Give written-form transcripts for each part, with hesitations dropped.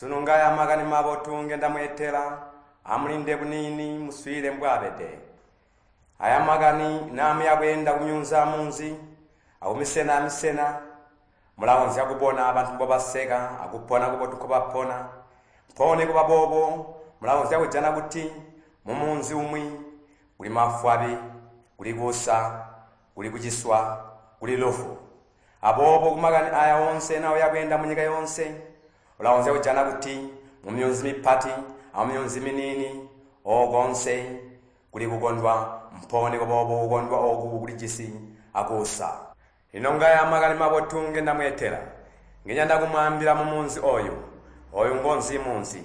Sunu ngaya makani mabotu ngendamweetela, amulinde buniini muswiilile mbwaabede. Aya makani naamuya bweenda kumyuunzi amunzi akumisena amisena, mulakonzya kubona bantu mbobaseka akupona kubotu nkobapona. Mpoo nikuba boobo mulakonzya kujana kuti mumunzi umwi kuli mafwabi, kuli kuusa, kuli kuciswa, kuli lufu. Aboobo kumakani aya oonse na uya bweenda munyika yoonse, ulakonzya kujana kuti mumyuunzi mipati amumyuunzi miniini okoonse kuli kukondwa, mpoo nikuba boobo kukondwa ooku kulijisi akuusa. Lino ngaya makani mabotu ngendamweetela, ngenyanda kumwaambila mumunzi oyu. Oyu ngonzi munzi.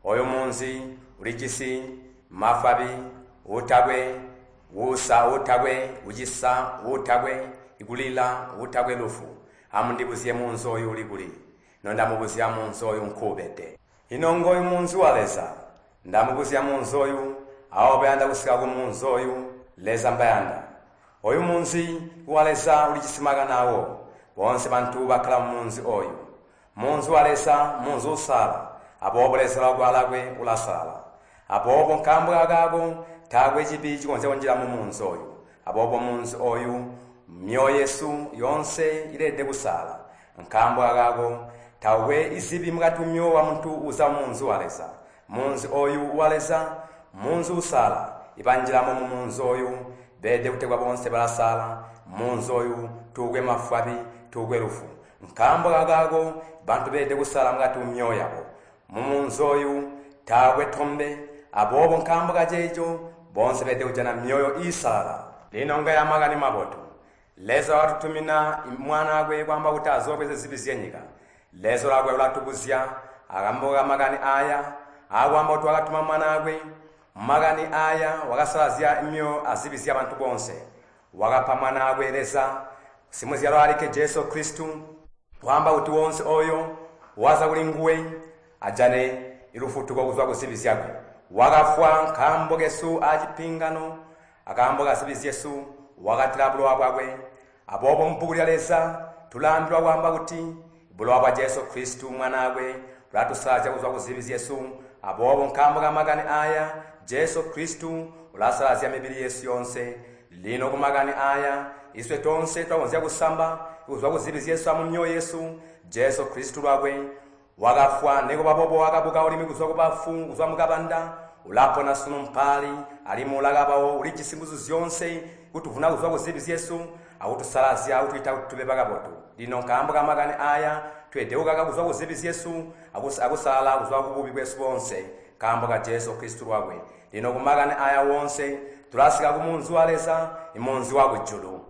Oyu munzi ulijisi mafwabi, uutakwe kuusa, uutakwe kucisa, uutakwe kulila, uutakwe lufu. Amundibuzye munzi oyu uli kuli? Nondamubuzya munzi oyu nkuubede. Ino ngoyu munzi wa Leza. Ndamubuzya munzi oyu, abo bayanda kusika kumunzi oyu, Leza mbayanda. Oyu munzi wa Leza ulijisi makani awo. Boonse bantu bakkala mumunzi oyu. Munzi wa Leza munzi uusalala, aboobo Leza lwakwe alakwe ulasalala. Aboobo nkaambo kakaako taakwe cibi cikonzya kunjila mumunzi oyu. Aboobo munzi oyu myoyo yesu yoonse ileelede kusalala. Nkaambo kakaako taakwe izibi mukati mumyoyo wamuntu uza mumunzi wa Leza. Munzi oyu wa Leza munzi uusalala. Ibanjilamo mumunzi oyu beelede kutegwa boonse balasalala. Munzi oyu tuukwe mafwabi, tuukwe lufu. Nkaambo kakaako bantu beelede kusalala mukati mumyoyo yabo. Mumunzi oyu taakwe tombe, aboobo nkaambo kaceeco boonse beelede kujana myoyo iisalala. Lino ngaya makani mabotu. Leza wakatutumina Mwanaakwe kwaamba kuti azoobweze zibi zyenyika. Leza lwakwe ulatubuzya akaambo kamakani aaya aakwaamba kuti wakatuma Mwanaakwe. Makani aaya wakasalazya myoyo azibi zyabantu boonse. Wakapa Mwanaakwe Leza simuzyalwa alikke Jesu Kristu, kwaamba kuti woonse ooyo waza kulinguwe ajane lufutuko kuzwa kuzibi zyakwe. Wakafwa nkaambo kesu acipiingano, akaambo kazibi zyesu wakatila bulowa bwakwe. Aboobo mubbuku lya Leza tulaambilwa kwaamba kuti bulowa bwa Jesu Kristu Mwanaakwe bulatusalazya kuzwa kuzibi zyesu. Aboobo nkaambo kamakani aaya Jesu Kristu ulasalazya mibili yesu yoonse. Lino kumakani aaya iswe toonse twakonzya kusamba kuzwa kuzibi zyesu amumyoyo yesu. Jesu Kristu lwakwe wakafwa, nikuba boobo wakabuka alimwi kuzwa kubafu, kuzwa mukabanda. Ulapona sunu mpaali, alimwi ulakabawo, ulijisi nguzu zyoonse kutuvuna kuzwa kuzibi zyesu akutusalazya akutwiita kuti tube bakabotu. Lino nkaambo kamakani aaya tweelede kukaka kuzwa kuzibi zyesu akusalala kuzwa kububi bwesu boonse nkaambo ka Jesu Kristu lwakwe. Lino kumakani aya woonse tulasika kumunzi wa Leza, imunzi wakujulu.